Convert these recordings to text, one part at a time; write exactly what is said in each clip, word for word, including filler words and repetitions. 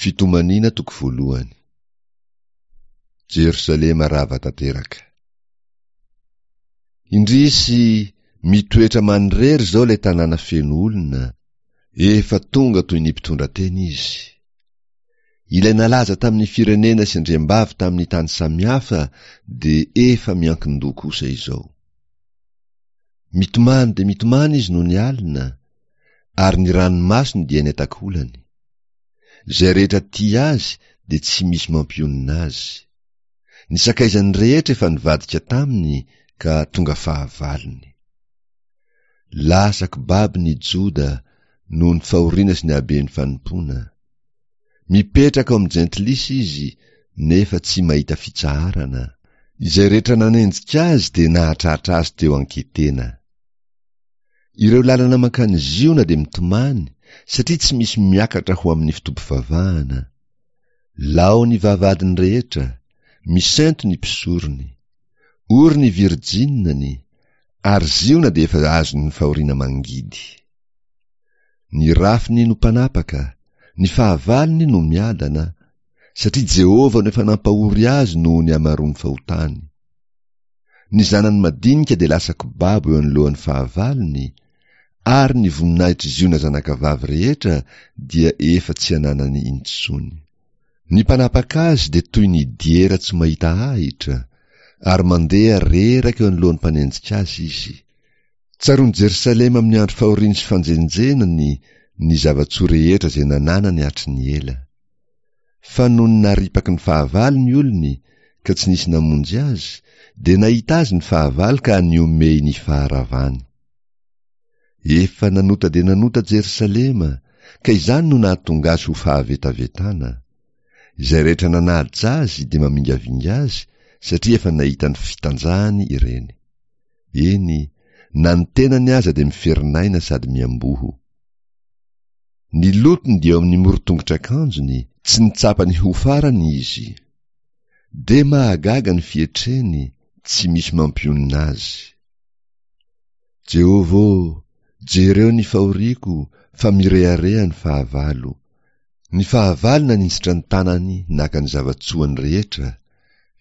Fitomaniana toko voalohany. Jerosalema rava tanteraka. Indrisy, mitoetra manirery izao ilay tanàna feno olona, efa tonga toy ny mpitondra tena izy. Ilay nalaza tamin'ny firenena sy andriambavy tamin'ny tany samihafa dia efa miankin-doha kosa izao. Mitomany dia mitomany izy nony alina, ary ny ranomasony dia eny an-takolany. Izay rehetra tia azy dia tsy misy mampionona azy. Ny sakaizany rehetra efa nivadika taminy ka tonga fahavalony. Lasa kibabo ny Joda noho ny fahoriana sy ny haben'ny fanompoana. Mipetraka ao amin'ny jentilisa izy nefa tsy mahita fitsaharana. Izay rehetra nanenjika azy dia nahatratra azy teo an-ketena. Ireo lalana mankany Ziona dia mitomany satria tsy misy miakatra ho amin'ny fotoam-pivavahana. Lao ny vavahadiny rehetra, misento ny mpisorony. Ory ny virjinany, ary Ziona dia efa azon'ny fahoriana mangidy. Ny rafiny no mpanapaka, ny fahavalony no miadana, satria Jehovah no efa nampahory azy noho ny hamaroan'ny fahotany. Ny zanany madinika dia lasa kibabo eo anoloan'ny fahavalony, ary ny voninahitr'i Ziona zanakavavy rehetra dia efa tsy ananany intsony. Ny mpanapaka azy dia toy ny diera tsy mahita ahitra, ary mandeha reraka eo anoloan'ny mpanenjika azy izy. Tsaroan'i Jerosalema amin'ny andro fahoriany sy fanjenjenany ny zava-tsoa rehetra izay nananany hatry ny ela. Fa nony naripaky ny fahavalo ny olony ka tsy nisy namonjy azy, dia nahita azy ny fahavalo ka nihomehy ny faharavany. Efa nanota dia nanota Jerosalema, ka izany no nahatonga azy ho fahavetavetana. Izay rehetra nanaja azy dia mamingavinga azy, satria efa nahita ny fitanjahany ireny. Eny, na ny tenany aza dia miferinaina sady miamboho. Ny lotony dia eo amin'ny moron-tongotr'akanjony, tsy nitsapa ny ho farany izy. Dia mahagaga ny fietreny, tsy misy mampionona azy. Jehovah ô, jereo ny fahoriako, fa mirehareha ny fahavalo. Ny fahavalo naninjitra ny tanany naka ny zava-tsoany rehetra,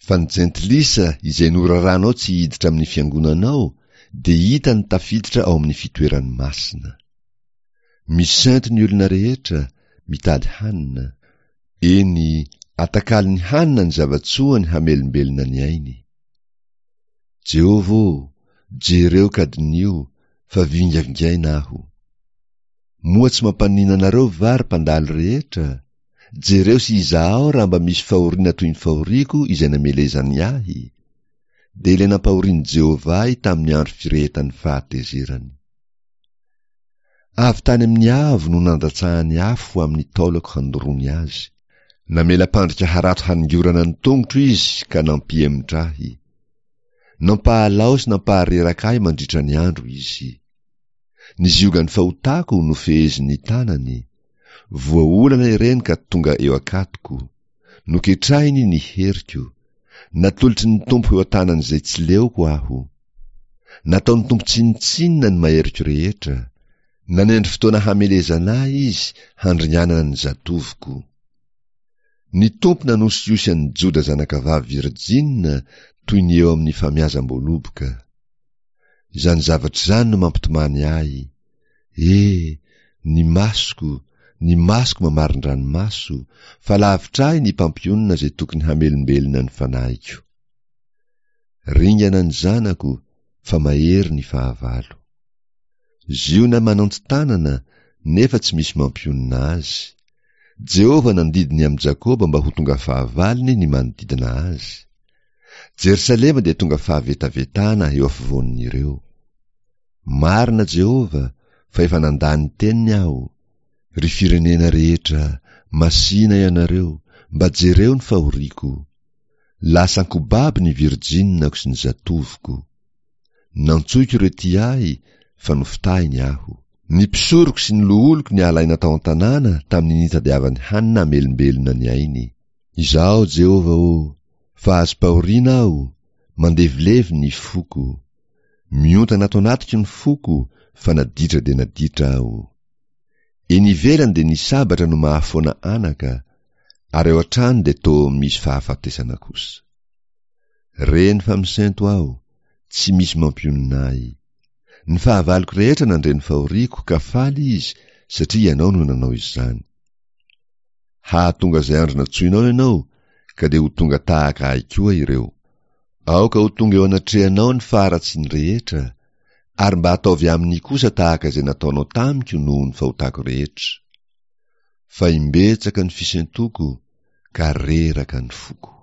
fa ny jentilisa izay noraranao tsy hiditra amin'ny fiangonanao dia hitany tafiditra ao amin'ny fitoerany masina. Misento ny olona rehetra, mitady hanina. Eny, atakalony hanina ny zava-tsoany hamelombelona ny ainy. Jehovah ô, jereo ka diniho, fa vingavingaina aho. Moa tsy mampaninona anareo va ry mpandalo rehetra? Jereo sy izahao raha mba misy fahoriana toy ny fahoriako izay namelezany ahy, dia ilay nampahorian'i Jehovah ahy tamin'ny andro firehetan'ny fahatezerany. Avy tany amin'ny avo no nandatsahany afo ho amin'ny taolako handoroany azy. Namela mpandrika harato haningorana ny tongotro izy ka nampihemotra ahy. Nampahalao sy nampahareraka ahy mandritra ny andro izy. Ny ziogan'ny fahotako no fehezin'ny tanany. Voaolana ireny ka tonga eo an-katoko. Noketrahiny ny heriko. Natolotry ny Tompo eo an-tanan'izay tsy leoko aho. Nataon'ny Tompo tsinontsinona ny maheriko rehetra. Nanendry fotoana hamelezana ahy izy handringanana ny zatovoko. Ny Tompo nanosihosy an'i Joda zanakavavy virjina toy ny eo amin'ny famiazam-boaloboka. Izany zavatra izany no mampitomany ahy. E, ny masoko, ny masoko mamarin-dranomaso, fa lavitra ahy ny mpampionona izay tokony hamelombelona ny fanahiko. Ringana ny zanako, fa mahery ny fahavalo. Ziona manantsi-tanana, nefa tsy misy mampionona azy. Jehovah nandidy ny amin'i Jakoba mba ho tonga fahavalony ny manodidina azy. Jerosalema dia tonga fahavetavetana eo afovoan'ireo. Marina Jehovah, fa efa nandà ny teniny aho. Ry firenena rehetra, masìna ianareo, mba jereo ny fahoriako. Lasa an-kobaby ny virjinako sy ny zatovoko. Nantsoiko ireo tia ahy, fa nofitahiny aho. Ny mpisoroko sy ny loholoko niala aina tao an-tanàna tamin'ny nitadiavany hanina hamelombelona ny ainy. Izaho, Jehovah ô, fa azom-pahoriana aho, mandevilevy ny foko. Miontana ato anatiko ny foko, fa naditra dia naditra aho. Eny ivelany dia ny sabatra no mahafoana anaka, Ary ao an-trano dia toa misy fahafatesana kosa. Reny fa misento aho, tsy misy mampionona ahy. Ny fahavaloko rehetra nandre ny fahoriako ka faly izy satria ianao no nanao izany. Hahatonga izay andro nantsoinao ianao ka dia ho tonga tahaka ahy koa ireo. Aoka ho tonga eo anatrehanao ny faharatsiany rehetra, ary mba ataovy aminy kosa tahaka izay nataonao tamiko noho ny fahotako rehetra. Fa imbetsaka ny fisentoko ka reraka ny foko.